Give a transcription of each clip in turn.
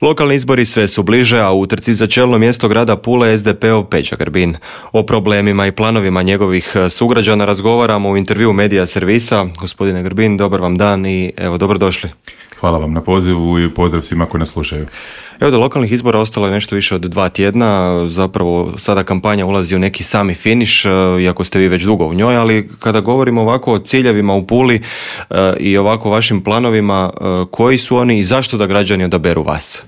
Lokalni izbori sve su bliže, a u utrci za čelno mjesto grada Pule SDP-ov Peđa Grbin. O problemima i planovima njegovih sugrađana razgovaramo u intervjuu Medija servisa. Gospodine Grbin, dobar vam dan i evo, dobrodošli. Hvala vam na pozivu i pozdrav svima koji nas slušaju. Evo, do lokalnih izbora ostalo je nešto više od 2 tjedna, zapravo sada kampanja ulazi u neki sami finiš, iako ste vi već dugo u njoj, ali kada govorimo ovako o ciljevima u Puli i ovako vašim planovima, koji su oni i zašto da građani odaberu vas?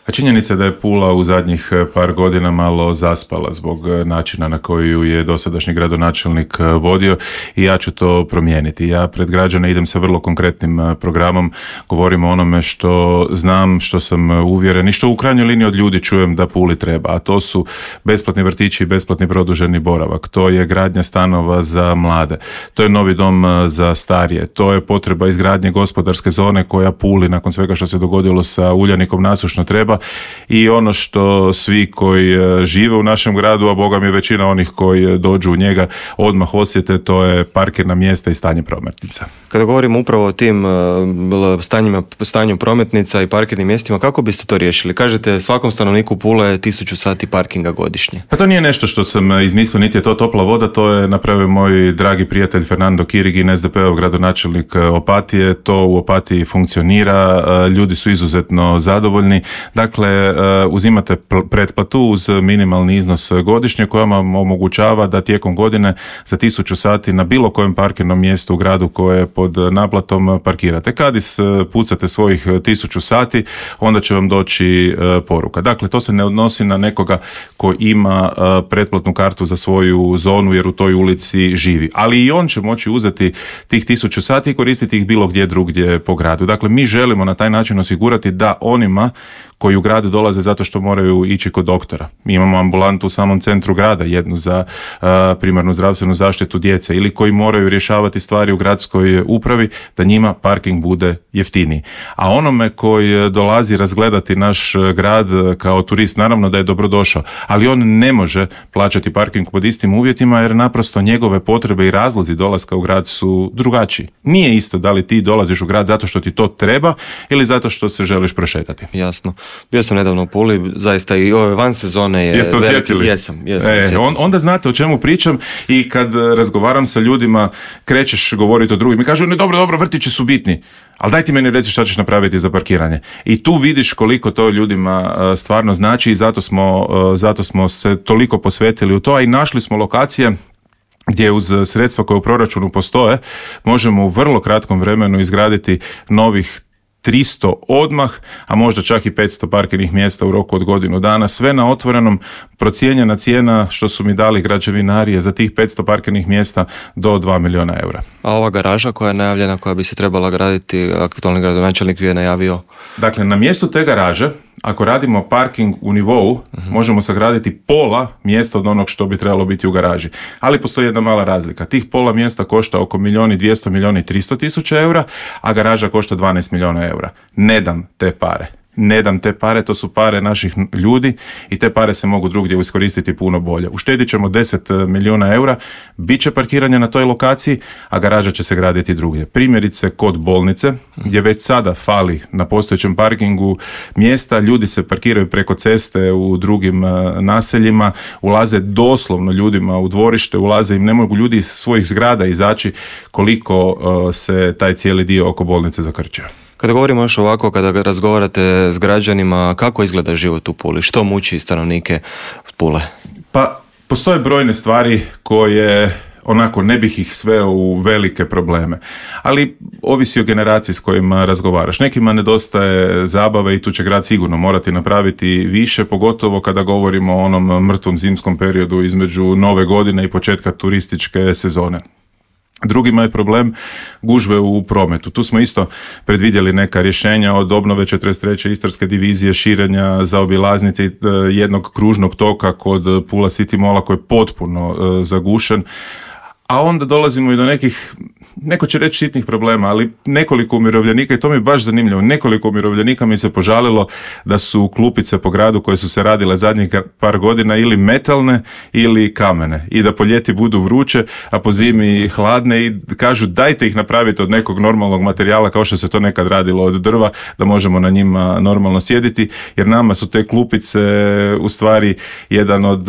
A činjenica je da je Pula u zadnjih par godina malo zaspala zbog načina na koji ju je dosadašnji gradonačelnik vodio i ja ću to promijeniti. Ja pred građane idem sa vrlo konkretnim programom, govorim o onome što znam, što sam uvjeren i što u krajnjoj liniji od ljudi čujem da Puli treba, a to su besplatni vrtići i besplatni produženi boravak, to je gradnja stanova za mlade, to je novi dom za starije, to je potreba izgradnje gospodarske zone koja Puli nakon svega što se dogodilo sa Uljanikom nasušno treba. I ono što svi koji žive u našem gradu, a boga mi većina onih koji dođu u njega odmah osjete, to je parkirna mjesta i stanje prometnica. Kada govorimo upravo o tim stanju prometnica i parkirnim mjestima, kako biste to riješili? Kažete svakom stanovniku Pule 1000 sati parkinga godišnje. Pa to nije nešto što sam izmislio, niti je to topla voda, to je napravio moj dragi prijatelj Fernando Kirigin, SDP-ov gradonačelnik Opatije. To u Opatiji funkcionira, ljudi su izuzetno zadovoljni. Dakle, uzimate pretplatu uz minimalni iznos godišnje koja vam omogućava da tijekom godine za 1000 sati na bilo kojem parkirnom mjestu u gradu koje je pod naplatom parkirate. Kad ispucate svojih 1000 sati, onda će vam doći poruka. Dakle, to se ne odnosi na nekoga ko ima pretplatnu kartu za svoju zonu jer u toj ulici živi. Ali i on će moći uzeti tih 1000 sati i koristiti ih bilo gdje drugdje po gradu. Dakle, mi želimo na taj način osigurati da onima koji u grad dolaze zato što moraju ići kod doktora. Mi imamo ambulantu u samom centru grada, jednu za primarnu zdravstvenu zaštitu djece, ili koji moraju rješavati stvari u gradskoj upravi, da njima parking bude jeftiniji. A onome koji dolazi razgledati naš grad kao turist, naravno da je dobrodošao, ali on ne može plaćati parking pod istim uvjetima jer naprosto njegove potrebe i razlozi dolaska u grad su drugačiji. Nije isto da li ti dolaziš u grad zato što ti to treba ili zato što se želiš prošetati. Jasno. Bio sam nedavno u Puli, zaista i ove van sezone je... Jeste osjetili? Jesam. Onda znate o čemu pričam i kad razgovaram sa ljudima, krećeš govoriti o drugim i kažu, ne, dobro, vrtići su bitni, ali daj ti meni reći šta ćeš napraviti za parkiranje. I tu vidiš koliko to ljudima stvarno znači i zato smo se toliko posvetili u to, a i našli smo lokacije gdje uz sredstva koje u proračunu postoje možemo u vrlo kratkom vremenu izgraditi novih 300 odmah, a možda čak i 500 parkirnih mjesta u roku od godinu dana. Sve na otvorenom, procijenjena cijena što su mi dali građevinari je za tih 500 parkirnih mjesta do 2 milijuna eura. A ova garaža koja je najavljena, koja bi se trebala graditi, aktualni gradonačelnik ju je najavio? Dakle, na mjestu te garaže, ako radimo parking u nivou, možemo sagraditi pola mjesta od onog što bi trebalo biti u garaži. Ali postoji jedna mala razlika. Tih pola mjesta košta oko 1.200.000, 1.300.000 eura, a garaža košta 12 milijuna eura. Ne dam te pare, to su pare naših ljudi i te pare se mogu drugdje iskoristiti puno bolje. Uštedit ćemo 10 milijuna eura, bit će parkiranje na toj lokaciji, a garaža će se graditi drugdje. Primjerice kod bolnice, gdje već sada fali na postojećem parkingu mjesta, ljudi se parkiraju preko ceste u drugim naseljima, ulaze doslovno ljudima u dvorište, ne mogu ljudi iz svojih zgrada izaći koliko se taj cijeli dio oko bolnice zakrčio. Kada govorimo još ovako, kada razgovarate s građanima, kako izgleda život u Puli? Što muči stanovnike Pule? Pa, postoje brojne stvari koje onako ne bih ih sveo u velike probleme, ali ovisi o generaciji s kojima razgovaraš. Nekima nedostaje zabave i tu će grad sigurno morati napraviti više, pogotovo kada govorimo o onom mrtvom zimskom periodu između Nove godine i početka turističke sezone. Drugima je problem gužve u prometu. Tu smo isto predvidjeli neka rješenja od obnove 43. Istarske divizije, širenja zaobilaznice, jednog kružnog toka kod Pula City Malla koji je potpuno zagušen. a onda dolazimo i do nekih, neko će reći sitnih problema, ali nekoliko umirovljenika, i to mi je baš zanimljivo, nekoliko umirovljenika mi se požalilo da su klupice po gradu koje su se radile zadnjih par godina ili metalne ili kamene i da po ljeti budu vruće, a po zimi hladne, i kažu dajte ih napraviti od nekog normalnog materijala kao što se to nekad radilo od drva, da možemo na njima normalno sjediti, jer nama su te klupice u stvari jedan od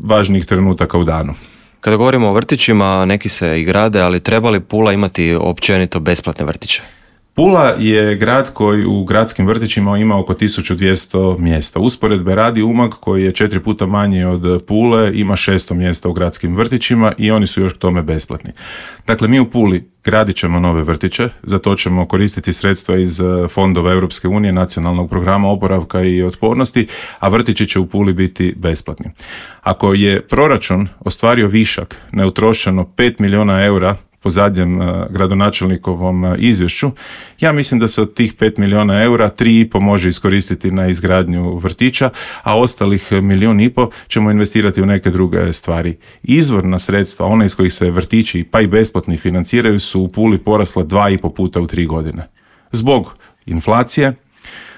važnijih trenutaka u danu. Kada govorimo o vrtićima, neki se i grade, ali treba li Pula imati općenito besplatne vrtiće? Pula je grad koji u gradskim vrtićima ima oko 1200 mjesta. Usporedbe radi Umag koji je 4 puta manji od Pule, ima 600 mjesta u gradskim vrtićima i oni su još k tome besplatni. Dakle, mi u Puli gradit ćemo nove vrtiće, za to ćemo koristiti sredstva iz fondova Europske unije, nacionalnog programa oporavka i otpornosti, a vrtići će u Puli biti besplatni. Ako je proračun ostvario višak neutrošeno 5 milijuna eura po zadnjem gradonačelnikovom izvješću, ja mislim da se od tih 5 milijuna eura 3,5 može iskoristiti na izgradnju vrtića, a ostalih 1,5 milijuna ćemo investirati u neke druge stvari. Izvorna sredstva, one iz kojih se vrtići pa i besplatni financiraju, su u Puli porasle 2,5 puta u 3 godine. Zbog inflacije,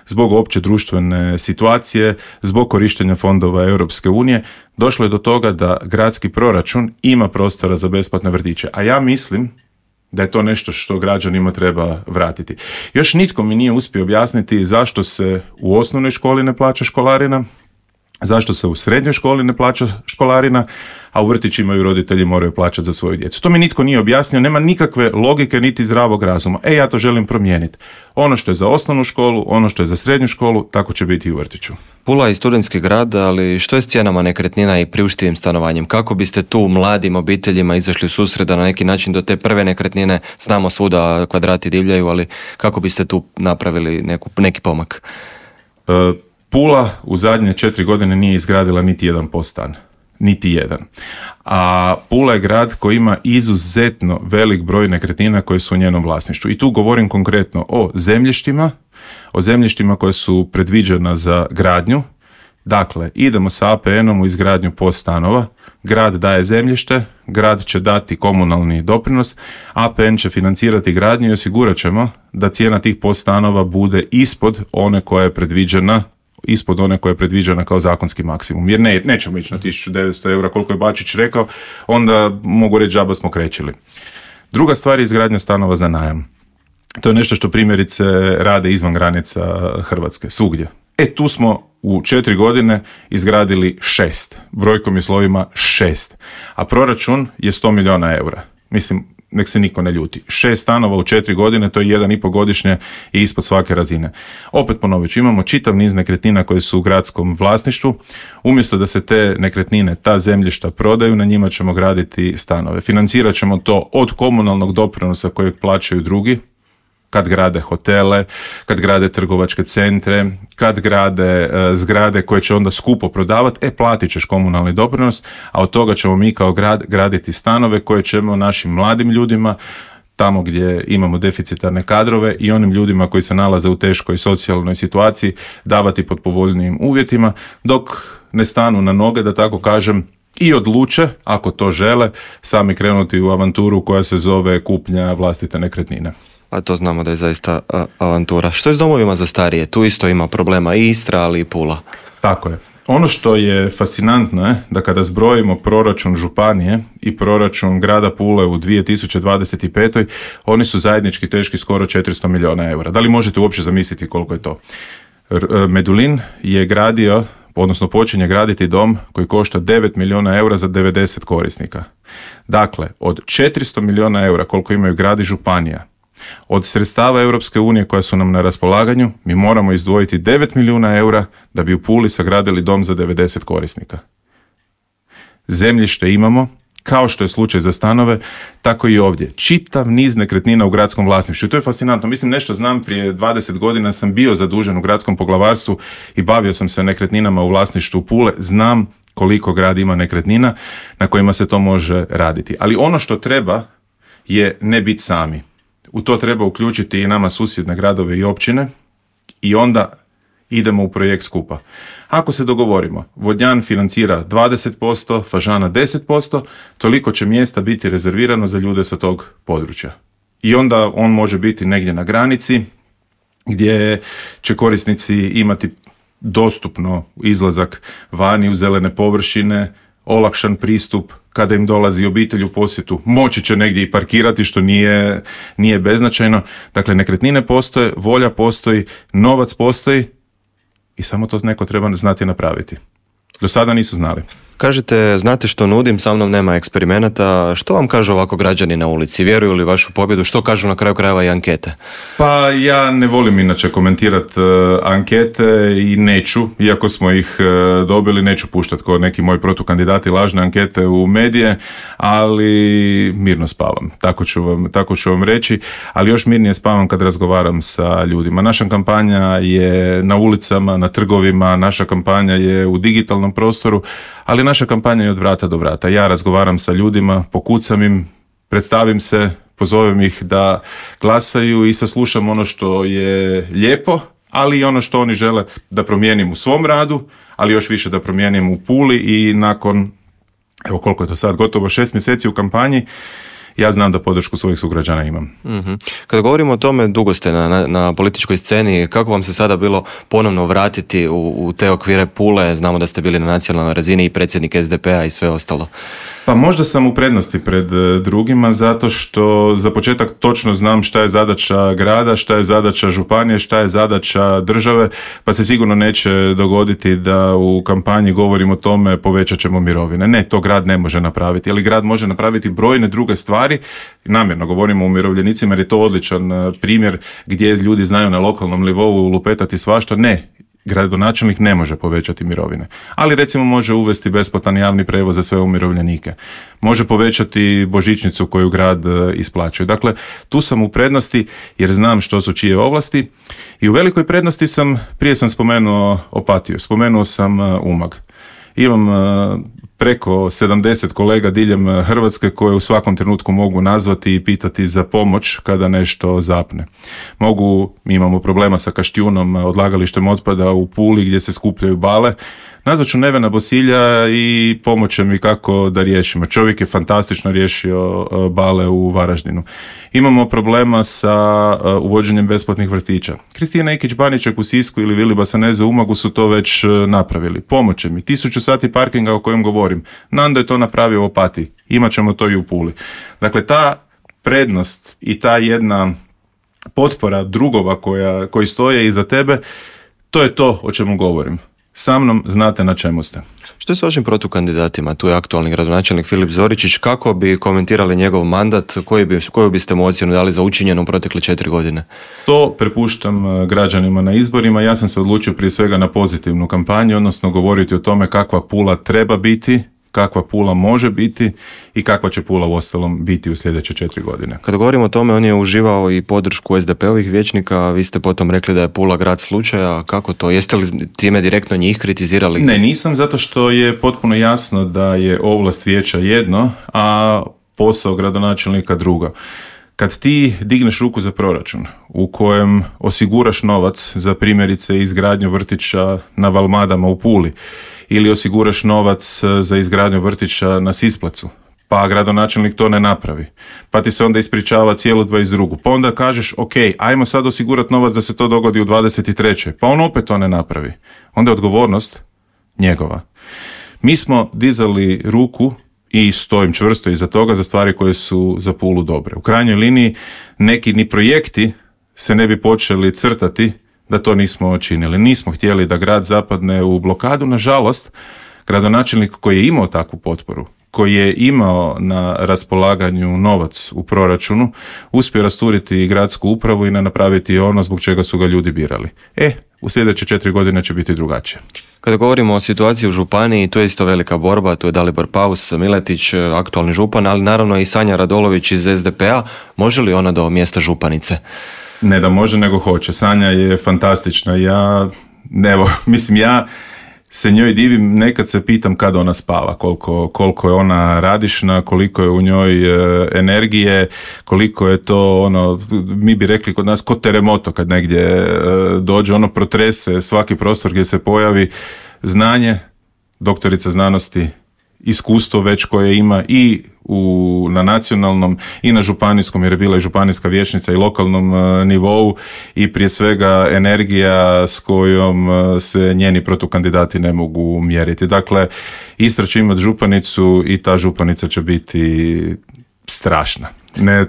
zbog opće društvene situacije, zbog korištenja fondova Europske unije, došlo je do toga da gradski proračun ima prostora za besplatne vrtiće. A ja mislim da je to nešto što građanima treba vratiti. Još nitko mi nije uspio objasniti zašto se u osnovnoj školi ne plaća školarina, zašto se u srednjoj školi ne plaća školarina, a u vrtićima ju roditelji moraju plaćati za svoju djecu. To mi nitko nije objasnio, nema nikakve logike niti zdravog razuma. Ja to želim promijeniti. Ono što je za osnovnu školu, ono što je za srednju školu, tako će biti i u vrtiću. Pula je studentski grad, ali što je s cijenama nekretnina i priuštivim stanovanjem? Kako biste tu mladim obiteljima izašli u susret da na neki način do te prve nekretnine, znamo svuda kvadrati divljaju, ali kako biste tu napravili neki pomak? Pula u zadnje 4 godine nije izgradila niti jedan POS stan. Niti jedan. A Pula je grad koji ima izuzetno velik broj nekretnina koje su u njenom vlasništvu. I tu govorim konkretno o zemljištima koje su predviđena za gradnju. Dakle, idemo sa APN-om u izgradnju POS stanova, grad daje zemljište, grad će dati komunalni doprinos, APN će financirati gradnju i osigurat ćemo da cijena tih POS stanova bude ispod one koja je predviđena kao zakonski maksimum. Jer nećemo ići na 1900 eura koliko je Bačić rekao, onda mogu reći džaba smo krećili. Druga stvar je izgradnja stanova za najam. To je nešto što primjerice rade izvan granica Hrvatske, svugdje. Tu smo u 4 godine izgradili 6, brojkom i slovima 6, a proračun je 100 milijuna eura. Mislim, nek se niko ne ljuti. 6 stanova u 4 godine, to je 1,5 godišnje i ispod svake razine. Opet ponovit ću, imamo čitav niz nekretnina koje su u gradskom vlasništvu. Umjesto da se te nekretnine, ta zemljišta prodaju, na njima ćemo graditi stanove. Financirat ćemo to od komunalnog doprinosa kojeg plaćaju drugi, kad grade hotele, kad grade trgovačke centre, kad grade zgrade koje će onda skupo prodavati, platit ćeš komunalni doprinos, a od toga ćemo mi kao grad graditi stanove koje ćemo našim mladim ljudima, tamo gdje imamo deficitarne kadrove, i onim ljudima koji se nalaze u teškoj socijalnoj situaciji davati pod povoljnijim uvjetima, dok ne stanu na noge, da tako kažem, i odluče, ako to žele, sami krenuti u avanturu koja se zove kupnja vlastite nekretnine. A to znamo da je zaista avantura. Što je s domovima za starije? Tu isto ima problema i Istra, ali i Pula. Tako je. Ono što je fascinantno je da kada zbrojimo proračun županije i proračun grada Pule u 2025. oni su zajednički teški skoro 400 milijuna eura. Da li možete uopće zamisliti koliko je to? Medulin je gradio, odnosno počinje graditi dom koji košta 9 milijuna eura za 90 korisnika. Dakle, od 400 milijuna eura koliko imaju grad i županija, od sredstava Europske unije koja su nam na raspolaganju, mi moramo izdvojiti 9 milijuna eura da bi u Puli sagradili dom za 90 korisnika. Zemljište imamo, kao što je slučaj za stanove, tako i ovdje. Čitav niz nekretnina u gradskom vlasništvu. I to je fascinantno. Mislim, nešto znam, prije 20 godina sam bio zadužen u gradskom poglavarstvu i bavio sam se nekretninama u vlasništvu Pule. Znam koliko grad ima nekretnina na kojima se to može raditi. Ali ono što treba je ne biti sami. U to treba uključiti i nama susjedne gradove i općine i onda idemo u projekt skupa. Ako se dogovorimo, Vodnjan financira 20%, Fažana 10%, toliko će mjesta biti rezervirano za ljude sa tog područja. I onda on može biti negdje na granici, gdje će korisnici imati dostupno izlazak vani u zelene površine, olakšan pristup, kada im dolazi obitelj u posjetu, moći će negdje i parkirati, što nije beznačajno. Dakle, nekretnine postoje, volja postoji, novac postoji i samo to neko treba znati napraviti. Do sada nisu znali. Kažete, znate što nudim, sa mnom nema eksperimenata. Što vam kažu ovako građani na ulici? Vjeruju li vašu pobjedu? Što kažu na kraju krajeva i ankete? Pa ja ne volim inače komentirati ankete i neću, iako smo ih dobili, neću puštati kao neki moji protukandidati lažne ankete u medije, ali mirno spavam. Tako ću vam reći, ali još mirnije spavam kad razgovaram sa ljudima. Naša kampanja je na ulicama, na trgovima, naša kampanja je u digitalnom prostoru, ali naša kampanja je od vrata do vrata. Ja razgovaram sa ljudima, pokucam im, predstavim se, pozovem ih da glasaju i saslušam ono što je lijepo, ali i ono što oni žele da promijenim u svom radu, ali još više da promijenim u Puli i nakon, evo koliko je to sad, gotovo 6 mjeseci u kampanji, ja znam da podršku svojih sugrađana imam. Mm-hmm. Kada govorimo o tome, dugo ste na političkoj sceni, kako vam se sada bilo ponovno vratiti u te okvire Pule? Znamo da ste bili na nacionalnoj razini i predsjednik SDP-a i sve ostalo. Pa možda sam u prednosti pred drugima, zato što za početak točno znam šta je zadaća grada, šta je zadaća županije, šta je zadaća države, pa se sigurno neće dogoditi da u kampanji govorim o tome povećat ćemo mirovine. Ne, to grad ne može napraviti, ali grad može napraviti brojne druge stvari. Namjerno govorimo o umirovljenicima jer je to odličan primjer gdje ljudi znaju na lokalnom nivou lupetati svašta. Ne, gradonačelnik ne može povećati mirovine, ali recimo može uvesti besplatan javni prijevoz za sve umirovljenike. Može povećati božićnicu koju grad isplaćuje. Dakle, tu sam u prednosti jer znam što su čije ovlasti i u velikoj prednosti prije sam spomenuo Opatiju, spomenuo sam Umag. Imam preko 70 kolega diljem Hrvatske koje u svakom trenutku mogu nazvati i pitati za pomoć kada nešto zapne. Mi imamo problema sa Kaštjunom, odlagalištem otpada u Puli gdje se skupljaju bale. Nazvat ću Nevena Bosilja i pomoće mi kako da riješimo. Čovjek je fantastično riješio bale u Varaždinu. Imamo problema sa uvođenjem besplatnih vrtića. Kristina Ikić-Baniček u Sisku ili Vili Basaneze u Umagu su to već napravili. Pomoće mi. 1000 sati parkinga o kojem govorim. Nando je to napravio u Opatiji. Imat ćemo to i u Puli. Dakle, ta prednost i ta jedna potpora drugova koji stoje iza tebe, to je to o čemu govorim. Sa mnom znate na čemu ste. Što je s vašim protukandidatima? Tu je aktualni gradonačelnik Filip Zoričić. Kako bi komentirali njegov mandat? Koju biste mu ocjenu dali za učinjeno u protekle 4 godine? To prepuštam građanima na izborima. Ja sam se odlučio prije svega na pozitivnu kampanju, odnosno govoriti o tome kakva Pula treba biti, kakva Pula može biti i kakva će Pula uostalom biti u sljedeće 4 godine. Kada govorimo o tome, on je uživao i podršku SDP-ovih vijećnika, vi ste potom rekli da je Pula grad slučaja. Kako to? Jeste li time direktno njih kritizirali? Ne, nisam, zato što je potpuno jasno da je ovlast vijeća jedno, a posao gradonačelnika drugo. Kad ti digneš ruku za proračun u kojem osiguraš novac za primjerice izgradnju vrtića na Valmadama u Puli ili osiguraš novac za izgradnju vrtića na Sisplacu, pa gradonačelnik to ne napravi, pa ti se onda ispričava cijelu 22. Pa onda kažeš, ok, ajmo sad osigurati novac da se to dogodi u 23. Pa on opet to ne napravi. Onda je odgovornost njegova. Mi smo dizali ruku i stojim čvrsto iza toga za stvari koje su za Pulu dobre. U krajnjoj liniji neki ni projekti se ne bi počeli crtati da to nismo činili. Nismo htjeli da grad zapadne u blokadu. Nažalost, gradonačelnik koji je imao takvu potporu, koji je imao na raspolaganju novac u proračunu, uspio rasturiti gradsku upravu i napraviti ono zbog čega su ga ljudi birali. U sljedeće 4 godine će biti drugačije. Kada govorimo o situaciji u županiji, to je isto velika borba, tu je Dalibor Paus, Miletić, aktualni župan, ali naravno i Sanja Radolović iz SDP-a. Može li ona do mjesta županice? Ne da može, nego hoće. Sanja je fantastična. Ja se njoj divim, nekad se pitam kada ona spava, koliko je ona radišna, koliko je u njoj energije, koliko je to ono, mi bi rekli kod nas, kod teremoto kad negdje dođe, ono protrese svaki prostor gdje se pojavi, znanje, doktorica znanosti, iskustvo već koje ima i na nacionalnom i na županijskom, jer je bila i županijska vijećnica i lokalnom nivou, i prije svega energija s kojom se njeni protukandidati ne mogu mjeriti. Dakle, Istra će imati županicu i ta županica će biti strašna. Ne,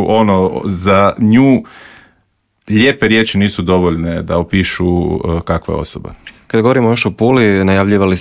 ono, za nju lijepe riječi nisu dovoljne da opišu kakva je osoba. Kada govorimo još o Puli,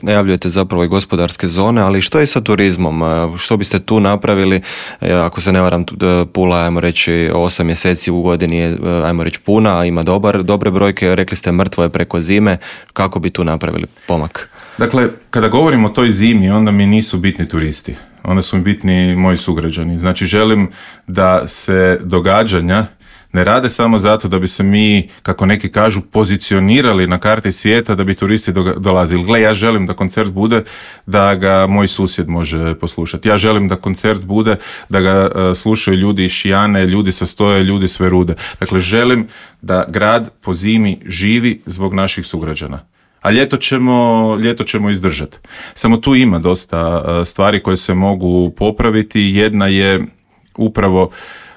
najavljujete zapravo i gospodarske zone, ali što je sa turizmom? Što biste tu napravili? Ako se ne varam, Pula, ajmo reći, 8 mjeseci u godini je, ajmo reći, puna, ima dobre brojke, rekli ste mrtvo je preko zime. Kako bi tu napravili pomak? Dakle, kada govorimo o toj zimi, onda mi nisu bitni turisti. Onda su mi bitni moji sugrađani. Znači, želim da se događanja ne rade samo zato da bi se mi, kako neki kažu, pozicionirali na karti svijeta da bi turisti dolazili. Gle, ja želim da koncert bude da ga moj susjed može poslušati. Ja želim da koncert bude da ga slušaju ljudi iz Šijane, ljudi sa Stoje, ljudi s Verude. Dakle, želim da grad po zimi živi zbog naših sugrađana. A ljeto ćemo izdržati. Samo tu ima dosta stvari koje se mogu popraviti. Jedna je upravo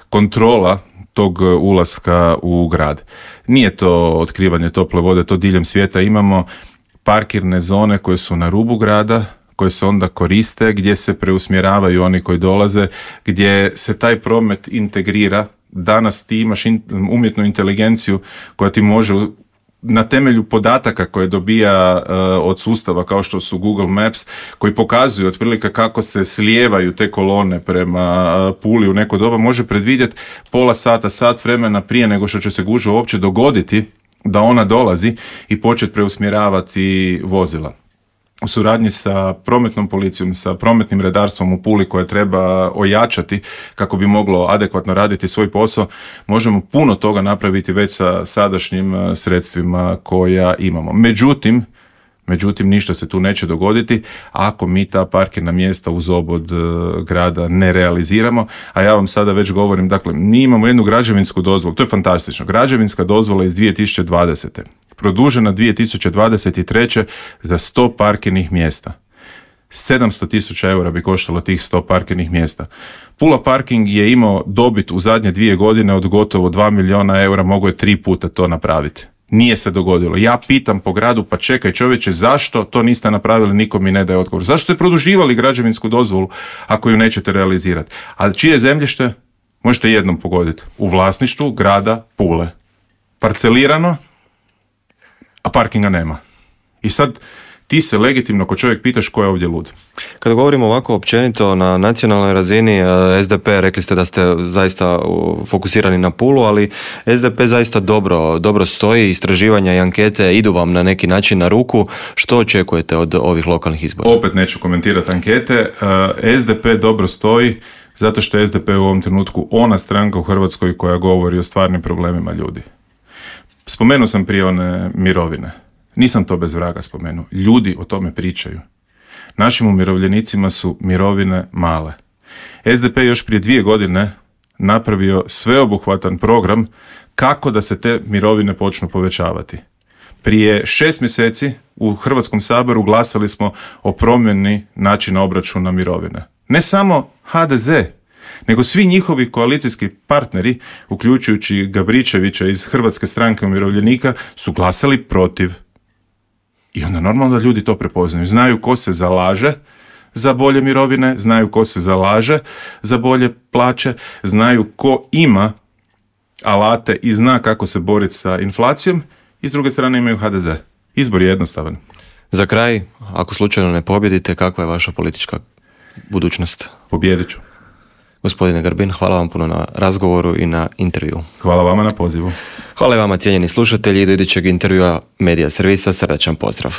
kontrola tog ulaska u grad. Nije to otkrivanje tople vode, to diljem svijeta imamo parkirne zone koje su na rubu grada, koje se onda koriste, gdje se preusmjeravaju oni koji dolaze, gdje se taj promet integrira. Danas ti imaš umjetnu inteligenciju koja ti može na temelju podataka koje dobija od sustava kao što su Google Maps, koji pokazuju otprilike kako se slijevaju te kolone prema Puli u neko doba, može predvidjeti pola sata, sat vremena prije nego što će se gužva uopće dogoditi da ona dolazi i početi preusmjeravati vozila. U suradnji sa prometnom policijom, sa prometnim redarstvom u Puli koje treba ojačati kako bi moglo adekvatno raditi svoj posao, možemo puno toga napraviti već sa sadašnjim sredstvima koja imamo. Međutim, ništa se tu neće dogoditi ako mi ta parkirna mjesta uz obod grada ne realiziramo, a ja vam sada već govorim, dakle, mi imamo jednu građevinsku dozvolu, to je fantastično, građevinska dozvola iz 2020. produžena 2023. za 100 parkirnih mjesta. 700.000 eura bi koštalo tih 100 parkirnih mjesta. Pula Parking je imao dobit u zadnje 2 godine od gotovo 2 milijuna eura, mogo je 3 puta to napraviti. Nije se dogodilo. Ja pitam po gradu, pa čekaj čovječe, zašto to niste napravili, niko mi ne daje odgovor. Zašto ste produživali građevinsku dozvolu ako ju nećete realizirati? A čije zemljište? Možete jednom pogoditi. U vlasništvu grada Pule. Parcelirano, a parkinga nema. I sad ti se legitimno ko čovjek pitaš ko je ovdje lud. Kada govorimo ovako općenito na nacionalnoj razini, SDP, rekli ste da ste zaista fokusirani na Pulu, ali SDP zaista dobro stoji, istraživanja i ankete idu vam na neki način na ruku. Što očekujete od ovih lokalnih izbora? Opet neću komentirati ankete. SDP dobro stoji zato što je SDP u ovom trenutku ona stranka u Hrvatskoj koja govori o stvarnim problemima ljudi. Spomenuo sam prije one mirovine. Nisam to bez vraga spomenuo. Ljudi o tome pričaju. Našim umirovljenicima su mirovine male. SDP još prije 2 godine napravio sveobuhvatan program kako da se te mirovine počnu povećavati. Prije 6 mjeseci u Hrvatskom saboru glasali smo o promjeni načina obračuna mirovine. Ne samo HDZ, nego svi njihovi koalicijski partneri, uključujući Gabričevića iz Hrvatske stranke umirovljenika, su glasali protiv. I onda normalno da ljudi to prepoznaju. Znaju ko se zalaže za bolje mirovine, znaju ko se zalaže za bolje plaće, znaju ko ima alate i zna kako se boriti sa inflacijom, i s druge strane imaju HDZ. Izbor je jednostavan. Za kraj, ako slučajno ne pobjedite, kakva je vaša politička budućnost? Pobijedit ću. Gospodine Grbin, hvala vam puno na razgovoru i na intervju. Hvala vama na pozivu. Hvala i vama, cijenjeni slušatelji, do idućeg intervjua Medija servisa, srdačan pozdrav.